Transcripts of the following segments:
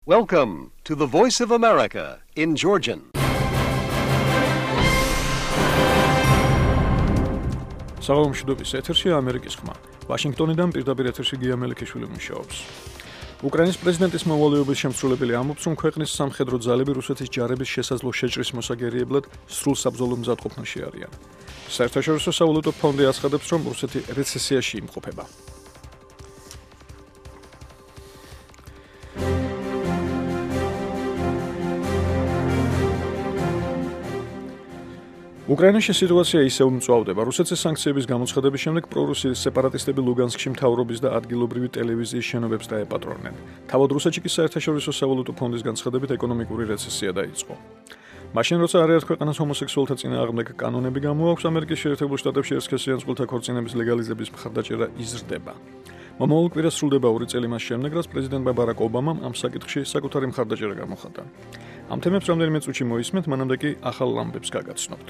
Welcome to the Voice of America in Georgian. საღამომშვიდობის ეთერში ამერიკის ხმა. ვაშინგტონიდან პირდაპირ ეთერში გია მელიქიშვილი მუშაობს. უკრაინის პრეზიდენტის მოვალეობის შემსრულებელი ამბობს, რომ ქვეყნის სამხედრო ძალები რუსეთის ჯარების შესაძლო შეჭრის მოსაგერიებლად სრულ საბრძოლო მზადყოფნაში არიან. საერთაშორისო სავალუტო ფონდი აცხადებს, რომ რუსეთი რეცესიაში იმყოფება. უკრაინაში სიტუაცია ისევ მწვავდება. რუსეთის სანქციების გამოცხადების შემდეგ პრორუსიის სეპარატისტები ლუგანსკში მთავრობის და ადგილობრივი ტელევიზიის შენობებს დაეპატრონნენ. თავად რუსეთში კი საერთაშორისო სავალუტო ფონდის განცხადებით ეკონომიკური რეცესია დაიწყო. მაშინ როცა არაერთ ქვეყანას ჰომოსექსუალთა წინააღმდეგ კანონები გამოაქვს, ამერიკის შეერთებულ შტატებში ერისქესიან წყვილთა ქორწინების ლეგალიზების მხარდაჭერა იზრდება. მომავალ კვირას სრულდება 2 წელი მას შემდეგ, რაც პრეზიდენტ ბარაკ ობამამ ამ საკითხში საკუთარი მხარდაჭერა გამოხატა. ამ თემებს რამდენიმე წუთში მოისმენთ, მანამდე კი ახალ ამბებს გაგაცნობთ.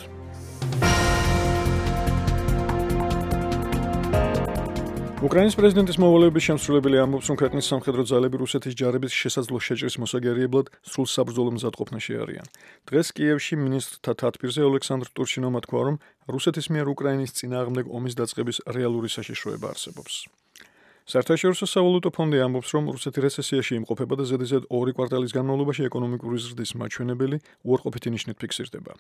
უკრაინის პრეზიდენტის მოვალეობის შემსრულებელი ამბობს, რომ ქვეყნის სამხედრო ძალები რუსეთის ჯარების შესაძლო შეჭრის მოსაგერიებლად სრულ საბრძოლო მზადყოფნაში არიან. დღეს კიევში მინისტრთა თათბირზე ოლექსანდრ ტურჩინოვმა თქვა, რომ რუსეთის მიერ უკრაინის წინააღმდეგ ომის დაწყების რეალური საშიშროება არსებობს. საერთაშორისო სავალუტო ფონდი ამბობს, რომ რუსეთი რეცესიაში იმყოფება და ზედიზედ 2 კვარტალის განმავლობაში ეკონომიკური ზრდის მაჩვენებელი უარყოფითი ნიშნით ფიქსირდება.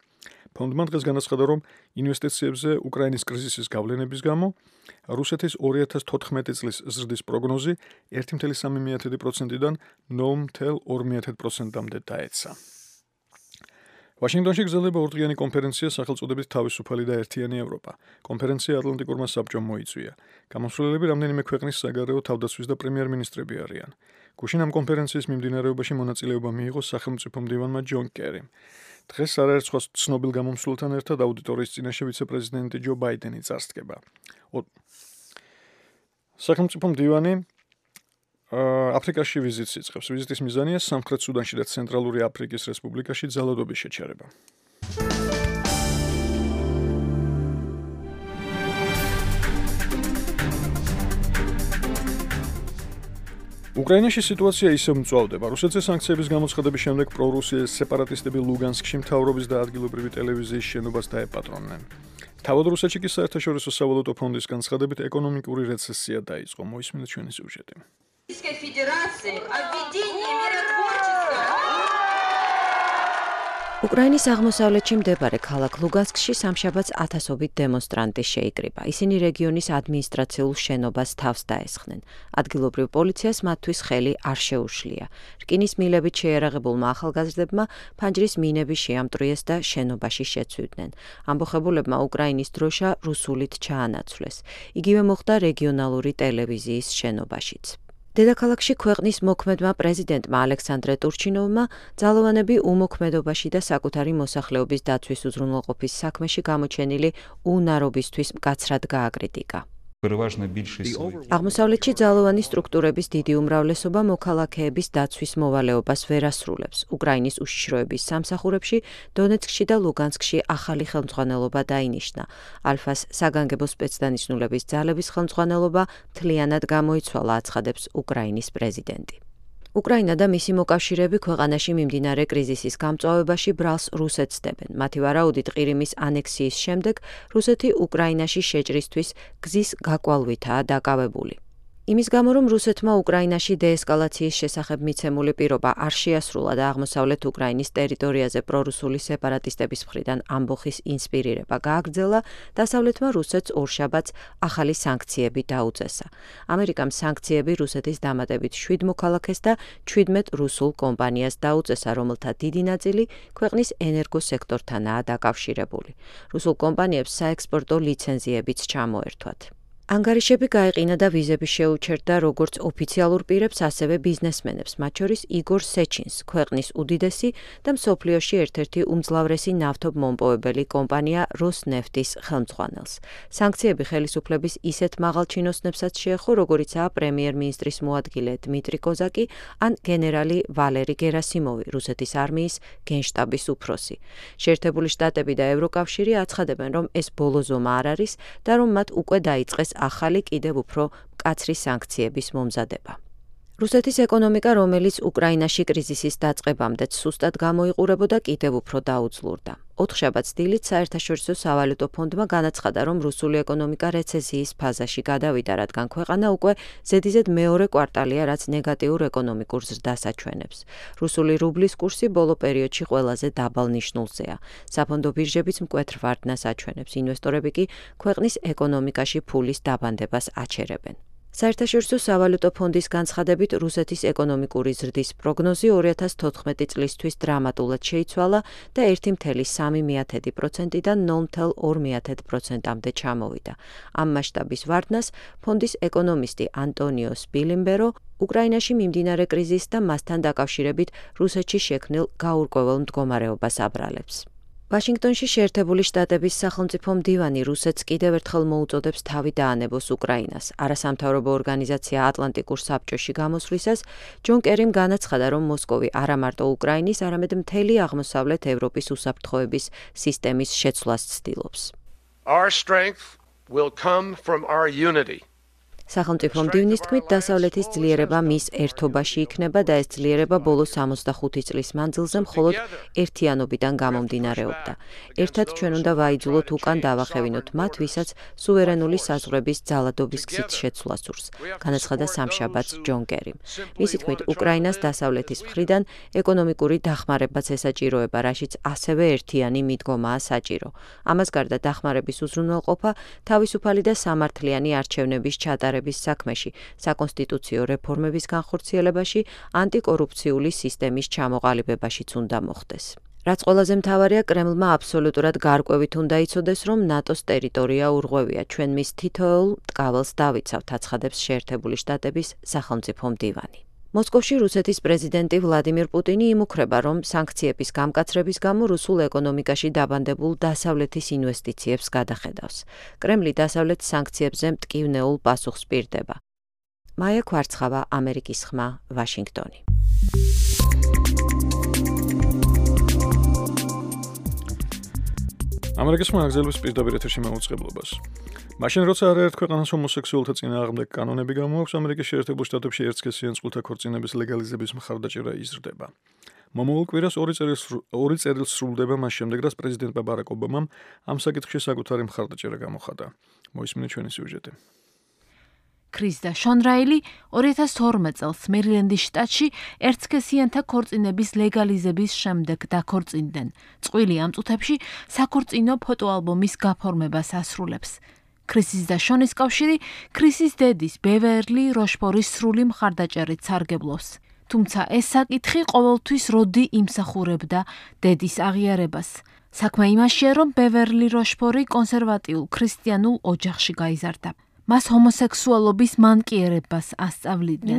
ფონდმა დღეს განაცხადა, რომ ინვესტიციებზე უკრაინის კრიზისის გავლენების გამო რუსეთის 2014 წლის ზრდის პროგნოზი 1,3%-დან 9,2%-მდე დაეცა. ვაშინგტონში გრძელდება ორდღიანი კონფერენცია სახელწოდებით თავისუფალი და ერთიანი ევროპა. კონფერენცია ატლანტიკურმა საბჭომ მოიწვია. გამოსვლელები რამდენიმე ქვეყნის საგარეო თავდაცვის და პრემიერ-მინისტრები არიან. გუშინ ამ კონფერენციის მიმდინარეობაში მონაწილეობა მიიღო სახელმწიფო მდივანმა ჯონ კერიმ. დღეს არაერთ სხვა ცნობილ გამომსვლელთან ერთად აუდიტორიის წინაშე ვიცე-პრეზიდენტი ჯო ბაიდენი წარსდგება. სახელმწიფო მდივანი აფრიკაში ვიზიტს იწყებს. ვიზიტის მიზანია სამხრეთ სუდანში და ცენტრალური აფრიკის რესპუბლიკაში ძალადობის შეჩერება. უკრაინაში სიტუაცია ისევ მწვავდება. რუსეთის სანქციების გამოცხადების შემდეგ პრორუსიის სეპარატისტები ლუგანსკში მთავრობის და ადგილობრივი ტელევიზიის შენობას დაეპატრონნენ. თავად რუსეთში კი საერთაშორისო სავალუტო ფონდის განცხადებით ეკონომიკური რეცესია დაიწყო. მოისმინეთ ჩვენი სიუჟეტი. უკრაინის აღმოსავლეთში მდებარე ქალაქ ლუგანსკში სამშაბათს ათასობით დემონსტრანტი შეიკრიბა. ისინი რეგიონის ადმინისტრაციულ შენობას თავს დაესხნენ. ადგილობრივ პოლიციას მათთვის ხელი არ შეუშლია. რკინის მილებით შეიარაღებულმა ახალგაზრდებმა ფანჯრის მინები შეამტვრიეს და შენობაში შეცვიდნენ. ამბოხებულებმა უკრაინის დროშა რუსულით ჩაანაცვლეს. იგივე მოხდა რეგიონალური ტელევიზიის შენობაშიც. დედაქალაქში ქვეყნის მოქმედმა პრეზიდენტმა ალექსანდრე ტურჩინოვმა ძალოვანები უმოქმედობაში და საკუთარი მოსახლეობის დაცვის უზრუნველყოფის საქმეში გამოჩენილი უნარობისთვის მკაცრად გააკრიტიკა. აღმოსავლეთში ძალოვანი სტრუქტურების დიდი უმრავლესობა მოქალაქეების დაცვის მოვალეობას ვერ ასრულებს. უკრაინის უშიშროების სამსახურებში დონეცკში და ლუგანსკში ახალი ხელმძღვანელობა დაინიშნა. ალფას საგანგებო სპეცდანიშნულების ძალების ხელმძღვანელობა მთლიანად გამოიცვალა, აცხადებს უკრაინის პრეზიდენტი. უკრაინა და მისი მოკავშირეები ქვეყანაში მიმდინარე კრიზისის გამწვავებაში ბრალს რუსეთს დებენ. მათი ვარაუდით ყირიმის ანექსიის შემდეგ რუსეთი უკრაინაში შეჭრისთვის გზის გაკვალვითაა დაკავებული. იმის გამო, რომ რუსეთმა უკრაინაში დეესკალაციის შესახებ მიცემული პირობა არ შეასრულა და აღმოსავლეთ უკრაინის ტერიტორიაზე პრორუსული სეპარატისტების მხრიდან ამბოხის ინსპირირება გააგრძელა, დასავლეთმა რუსეთს ორშაბათს ახალი სანქციები დაუწესა. ამერიკამ სანქციები რუსეთის დამატებით 7 მოქალაქეს და 17 რუსულ კომპანიას დაუწესა, რომელთა დიდი ნაწილი ქვეყნის ენერგოსექტორთანაა დაკავშირებული. რუსულ კომპანიებს საექსპორტო ლიცენზიებიც ჩამოერთვათ. ანგარიშები გაეყინა და ვიზები შეუჩერდა როგორც ოფიციალურ პირებს, ასევე ბიზნესმენებს, მათ შორის იგორ სეჩინს, ქვეყნის უდიდესი და მსოფლიოში ერთ-ერთი უმძლავრესი ნავთობმომპოვებელი კომპანია როსნეფტის ხელმძღვანელს. სანქციები ხელისუფლების ისეთ მაღალ ჩინოსნებსაც შეეხო, როგორიცაა პრემიერ-მინისტრის მოადგილე დმიტრი კოზაკი ან გენერალი ვალერი გერასიმოვი, რუსეთის არმიის გენშტაბის უფროსი. შეერთებული შტატები და ევროკავშირი აცხადებენ, რომ ეს ბოლო ზომა არ არის და რომ მათ უკვე დაიწყეს ახალი კიდევ უფრო მკაცრი სანქციების მომზადება. რუსეთის ეკონომიკა, რომელიც უკრაინაში კრიზისის დაწყებამდეც სუსტად გამოიყურებოდა, კიდევ უფრო დაუძლურდა. 4 შაბათს დილით საერთაშორისო სავალუტო ფონდმა განაცხადა, რომ რუსული ეკონომიკა რეცესიის ფაზაში გადავიდა, რადგან ქვეყანა უკვე ზედიზედ მეორე კვარტალია, რაც ნეგატიურ ეკონომიკურ ზრდას აჩვენებს. რუსული რუბლის კურსი ბოლო პერიოდში ყველაზე დაბალ ნიშნულზეა. საფონდო ბირჟებიც მკვეთრ ვარდნას აჩვენებს, ინვესტორები კი ქვეყნის ეკონომიკაში ფულის დაბანდებას აჩერებენ. საერთაშორისო სავალუტო ფონდის განცხადებით, რუსეთის ეკონომიკური ზრდის პროგნოზი 2014 წლისთვის დრამატულად შეიცვალა და 1,3%-დან 0,2%-მდე ჩამოვიდა. ამ მასშტაბის ვარდნას ფონდის ეკონომისტი ანტონიო სპილიმბერო უკრაინაში მიმდინარე კრიზისს და მასთან დაკავშირებით რუსეთში შექმნილ გაურკვეველ მდგომარეობას აბრალებს. ვაშინგტონში შეერთებული შტატების სახელმწიფო მდივანი რუსეთს კიდევ ერთხელ მოუწოდებს თავი დაანებოს უკრაინას. არასამთავრობო ორგანიზაცია ატლანტიკურ საბჭოში გამოსვლისას ჯონ კერიმ განაცხადა, რომ მოსკოვი არა მარტო უკრაინის, არამედ მთელი აღმოსავლეთ ევროპის უსაფრთხოების სისტემის შეცვლას ცდილობს. Our strength will come from our unity. სახელმწიფო მდივნის თქმით, დასავლეთის ძლიერება მის ერთობაში იქნება და ეს ძლიერება ბოლო 65 წლის მანძილზე მხოლოდ ერთიანობიდან გამომდინარეობდა. ერთად ჩვენ უნდა ვაიძულოთ უკან დავახევინოთ მათ, ვისაც სუვერენული საზღვრების ძალადობის გზით შეცვლა სურს, განაცხადა სამშაბათს ჯონ კერიმ. მისი თქმით, უკრაინას დასავლეთის მხრიდან ეკონომიკური დახმარებაც ესაჭიროება, რაშიც ასევე ერთიანი მიდგომაა საჭირო. ამას გარდა დახმარების უზრუნველყოფა, თავისუფალი და სამართლიანი არჩევნების ჩატარება საქმეში, საკონსტიტუციო რეფორმების განხორციელებაში, ანტიკორუფციული სისტემის ჩამოყალიბებაშიც უნდა მოხდეს. რაც ყველაზე მთავარია, კრემლმა აბსოლუტურად გარკვევით უნდა იცოდეს, რომ ნატოს ტერიტორია ურღვევია. ჩვენ მის თითოეულ ტკაველს დავიცავთ, აცხადებს შეერთებული შტატების სახელმწიფო მდივანი. მოსკოვში რუსეთის პრეზიდენტი ვლადიმირ პუტინი იმუქრება, რომ სანქციების გამკაცრების გამო რუსულ ეკონომიკაში დაბანდებულ დასავლეთის ინვესტიციებს გადახედავს. კრემლი დასავლეთ სანქციებზე მტკივნეულ პასუხს პირდება. მაია ქვარცხავა, ამერიკის ხმა, ვაშინგტონი. ამერიკის ხმა აგზელებს პირდაპირ ეთერში მაუწყებლობას. მაშინ როცა არაერთ ქვეყანას ჰომოსექსუალთა წინააღმდეგ კანონები გამოაქვს, ამერიკის შეერთებულ შტატებში ერთსქესიან წყვილთა ქორწინების ლეგალიზების მხარდაჭერა იზრდება. მომავალ კვირას 2 წერილს სრულდება მას შემდეგ, რაც პრეზიდენტმა ბარაკ ობამამ ამ საკითხში საკუთარი მხარდაჭერა გამოხატა. მოისმინეთ ჩვენი სიუჟეტი. ქრის და შონ რაილი 2012 წელს მერილენდის შტატში ერთსქესიანთა ქორწინების ლეგალიზების შემდეგ დაქორწინდნენ. წყვილი ამ წუთებში საქორწინო ფოტოალბომის გაფორმებას ასრულებს. ქრისის და შონის კავშირი ქრისის დედის ბევერლი როშფორის სრული მხარდაჭერით სარგებლობს. თუმცა ეს საკითხი ყოველთვის როდი იმსახურებდა დედის აღიარებას. საქმე იმაშია, რომ ბევერლი როშფორი კონსერვატიულ ქრისტიანულ ოჯახში გაიზარდა. მას ჰომოსექსუალობის მანკიერებას ასწავლიდნენ.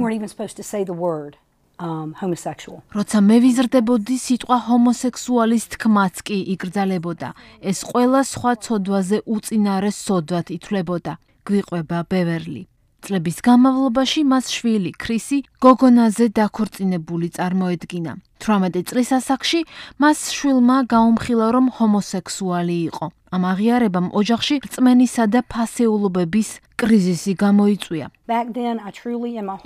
როცა მე ვიზრდებოდი, სიტყვა ჰომოსექსუალის თქმაც კი იკრძალებოდა. ეს ყველა სხვა ცოდვაზე უწინარეს სოდვად ითვლებოდა, გვიყვება ბევერლი. წლების განმავლობაში მას შვილი, ქრისი, გოგონაზე დაქორწინებული წარმოედგინა. 18 წლის ასაკში მას შვილმა გაუმხილა, რომ ჰომოსექსუალი იყო. ამ აღიარებამ ოჯახში რწმენისა და ფასეულობების კრიზისი გამოიწვია.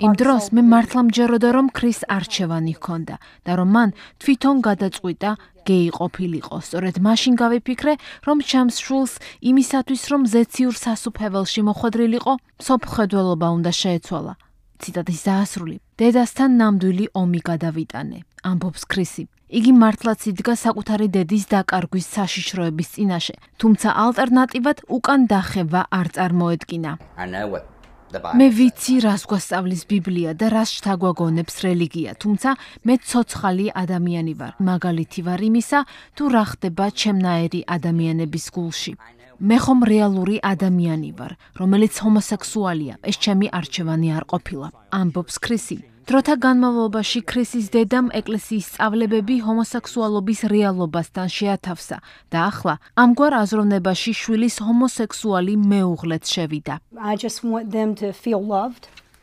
იმ დროს მე მართლა მჯეროდა, რომ ქრის არჩევანი ჰქონდა და რომ მან თვითონ გადაწყვიტა გეი ყოფილიყო. სწორედ მაშინ გავიფიქრე, რომ ჩემს შვილს იმისათვის, რომ ზეციურ სასუფეველში მოხვედრილიყო, სოფხედველობა უნდა შეეცვალა. ციტატის დაასრული. დედასთან ნამდვილი ომი გადავიტანე, ამბობს ქრისი. იგი მართლაც იდგა საკუთარი დედის დაკარგვის საშიშროების წინაშე, თუმცა ალტერნატივად უკან დახევა არ წარმოედგინა. მე ვიცი, რას გვასწავლის ბიბლია და რას შთაგვაგონებს რელიგია, თუმცა მე ცოცხალი ადამიანი ვარ. მაგალითი ვარ იმისა, თუ რა ხდება ჩემნაირი ადამიანების გულში. მე ხომ რეალური ადამიანი ვარ, რომელიც ჰომოსექსუალია. ეს ჩემი არჩევანი არ ყოფილა, ამბობს ქრისი. დროთა განმავლობაში ქრისის დედამ ეკლესიის სწავლებები ჰომოსექსუალობის რეალობასთან შეათავსა და ახლა ამგვარ აზროვნებაში შვილის ჰომოსექსუალი მეუღლეც შევიდა.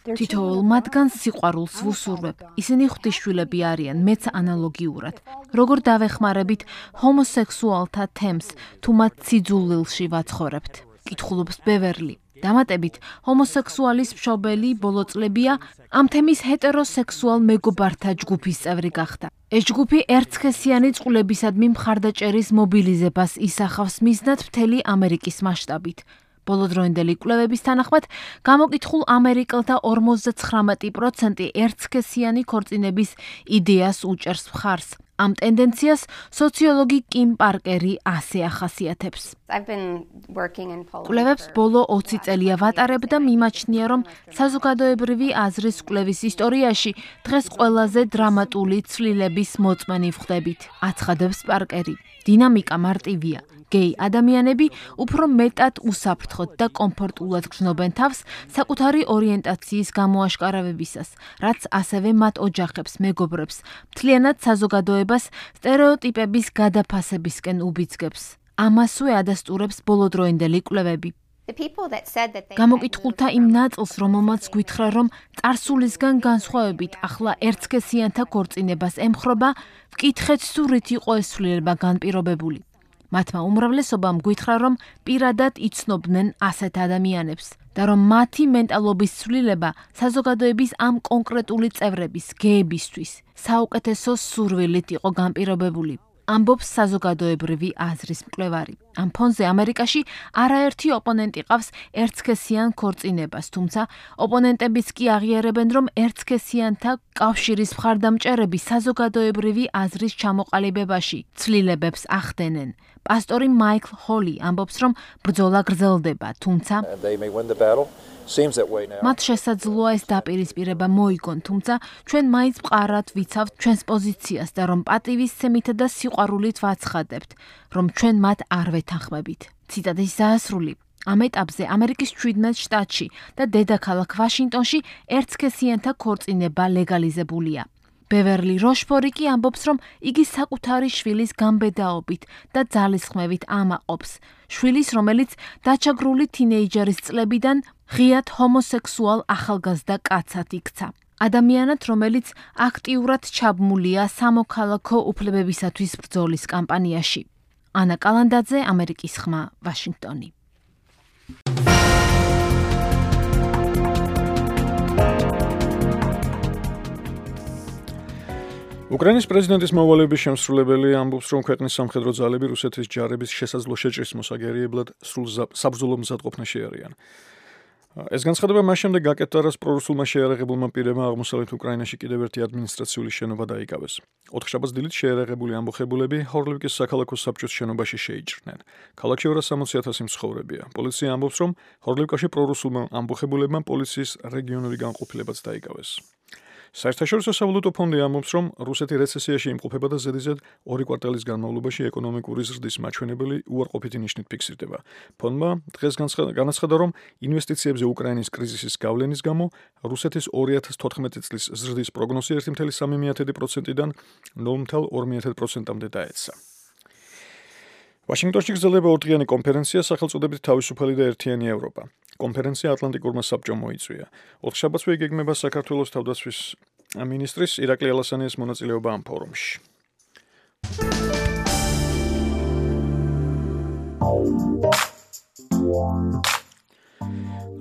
თითოეულ მათგანს სიყვარულს ვუსურვებ. ისინი ღვთისშვილები არიან, მეც ანალოგიურად. როგორ დავეხმარებით ჰომოსექსუალთა თემს, თუ მათ სიძულვილში ვაცხოვრებთ? კითხულობს ბევერლი. დამატებით, ჰომოსექსუალის მშობელი ბოლო წლებია ამ თემის ჰეტეროსექსუალ მეგობართა ჯგუფის წევრი გახდა. ეს ჯგუფი ერთსქესიანი წყვილებისადმი მხარდაჭერის მობილიზებას ისახავს მიზნად მთელი ამერიკის მასშტაბით. ბოლოდროინდელი კვლევების თანახმად, გამოკითხულ ამერიკელთა 59% ერთსქესიანი ქორწინების იდეას უჭერს მხარს. ამ ტენდენციას სოციოლოგი კიმ პარკერი ასე ახასიათებს. კვლევებს ბოლო 20 წელია ვატარებ და მიმაჩნია, რომ საზოგადოებრივი აზრის კვლევის ისტორიაში დღეს ყველაზე დრამატული ცვლილების მოწმენი ვხვდებით, აცხადებს პარკერი. დინამიკა მარტივია. გეი ადამიანები უფრო მეტად უსაფრთხოდ და კომფორტულად გრძნობენ თავს საკუთარი ორიენტაციის გამოაშკარავებისას, რაც ასევე მათ ოჯახებს, მეგობრებს, მთლიანად საზოგადოებას სტერეოტიპების გადაფასებისკენ უბიძგებს. ამასვე ადასტურებს ბოლოდროინდელი კვლევები. გამოკითხულთა იმ ნაწილს, რომელმაც გვითხრა, რომ წარსულისგან განსხვავებით ახლა ერთსქესიანთა ქორწინებას ემხრობა, ვკითხეთ თუ რით იყო ეს ცვლილება განპირობებული. მათმა უმრავლესობამ გვითხრა, რომ პირადად იცნობდნენ ასეთ ადამიანებს და რომ მათი მენტალობის ცვლილება საზოგადოების ამ კონკრეტული წევრების, გეებისთვის, საუკეთესო სურვილით იყო განპირობებული. ამბობს საზოგადოებრივი აზრის მკვლევარი. ამ ფონზე ამერიკაში არაერთი ოპონენტი ყავს ერთსქესიან ქორწინებას, თუმცა ოპონენტებიც კი აღიარებენ, რომ ერთსქესიანთა კავშირის მხარდამჭერები საზოგადოებრივი აზრის ჩამოყალიბებაში ცვლილებებს ახდენენ. პასტორი მაიკლ ჰოლი ამბობს, რომ ბრძოლა გრძელდება, თუმცა მათ შესაძლოა ეს დაპირისპირება მოიგონ, თუმცა ჩვენ მაინც მყარად ვიცავთ ჩვენს პოზიციას და რომ პატივისცემითა და სიყვარულით ვაცხადებთ, რომ ჩვენ მათ არ ვეთანხმებით. ციტატის დაასრული. ამ ეტაპზე ამერიკის 17 შტატში და დედაქალაქ ვაშინგტონში ერთსქესიანთა ქორწინება ლეგალიზებულია. ბევერლი როშფორი კი ამბობს, რომ იგი საკუთარი შვილის გამბედაობით და ძალისხმევით ამაყობს. შვილის, რომელიც დაჩაგრული თინეიჯერის წლებიდან ღიად ჰომოსექსუალ ახალგაზრდა კაცად იქცა. ადამიანად, რომელიც აქტიურად ჩაბმულია სამოქალაქო უფლებებისათვის ბრძოლის კამპანიაში. ანა კალანდაძე, ამერიკის ხმა, ვაშინგტონი. უკრაინის პრეზიდენტის მოვალეობის შემსრულებელი ამბობს, რომ ქვეყნის სამხედრო ძალები რუსეთის ჯარების შესაძლო შეჭრის მოსაგერიებლად სრულ საბრძოლო მზადყოფნაში არიან. ეს განცხადება მას შემდეგ გაკეთდა, რაც პრორუსულმა შეიარაღებულმა პირებმა აღმოსავლეთ უკრაინაში კიდევ ერთი ადმინისტრაციული შენობა დაიკავეს. ოთხშაბათს დილით შეიარაღებული ამბოხებულები ჰორლივკის საქალაქო საბჭოს შენობაში შეიჭრნენ. ქალაქში 260,000 მცხოვრებია. პოლიცია ამბობს, რომ ჰორლივკაში პრორუსულმა ამბოხებულებმა პოლიციის რეგიონული განყოფილებაც დაიკავეს. საერთაშორისო სავალუტო ფონდი ამბობს, რომ რუსეთი რეცესიაში იმყოფება და ზედიზედ 2 კვარტალის განმავლობაში ეკონომიკური ზრდის მაჩვენებელი უარყოფითი ნიშნით ფიქსირდება. ფონდმა დღეს განაცხადა, რომ ინვესტიციებზე უკრაინის კრიზისის გავლენის გამო რუსეთის 2014 წლის ზრდის პროგნოზი 1,3%-დან 0,2%-მდე დაეცა. ვაშინგტონში გრძელდება ორდღიანი კონფერენცია სახელწოდებით თავისუფალი და ერთიანი ევროპა. კონფერენცია ატლანტიკურმა საბჭომ მოიწვია. ოთხშაბათსვე იგეგმება საქართველოს თავდაცვის მინისტრის ირაკლი ალასანიას მონაწილეობა ამ ფორუმში.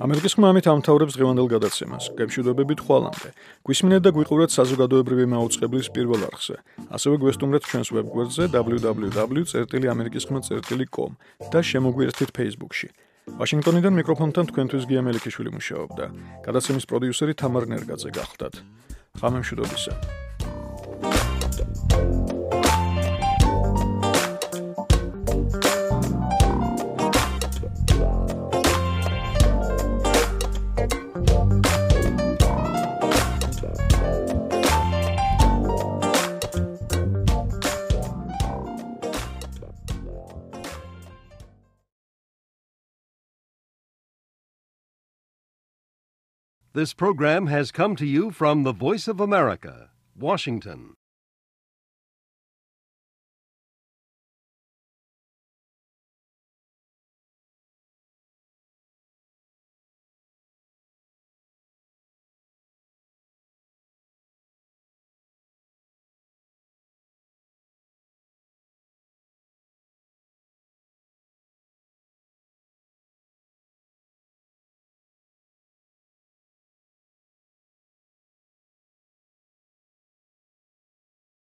ამერიკის ხმა ამით ამთავრებს დღევანდელ გადაცემას. გემშვიდობებით ხვალამდე. გვისმინეთ და გვიყურეთ საზოგადოებრივი მაუწყებლის პირველ არხზე. ასევე გვესტუმრეთ ჩვენს ვებგვერდზე www.amerikiskhma.com და შემოგვიერთდით Facebook-ში. ვაშინგტონიდან მიკროფონთან თქვენთვის გია მელიქიშვილი მუშაობდა. გადაცემის პროდიუსერი თამარ ნერგაძე გახლდათ. ღამემშვიდობისა. This program has come to you from the Voice of America, Washington.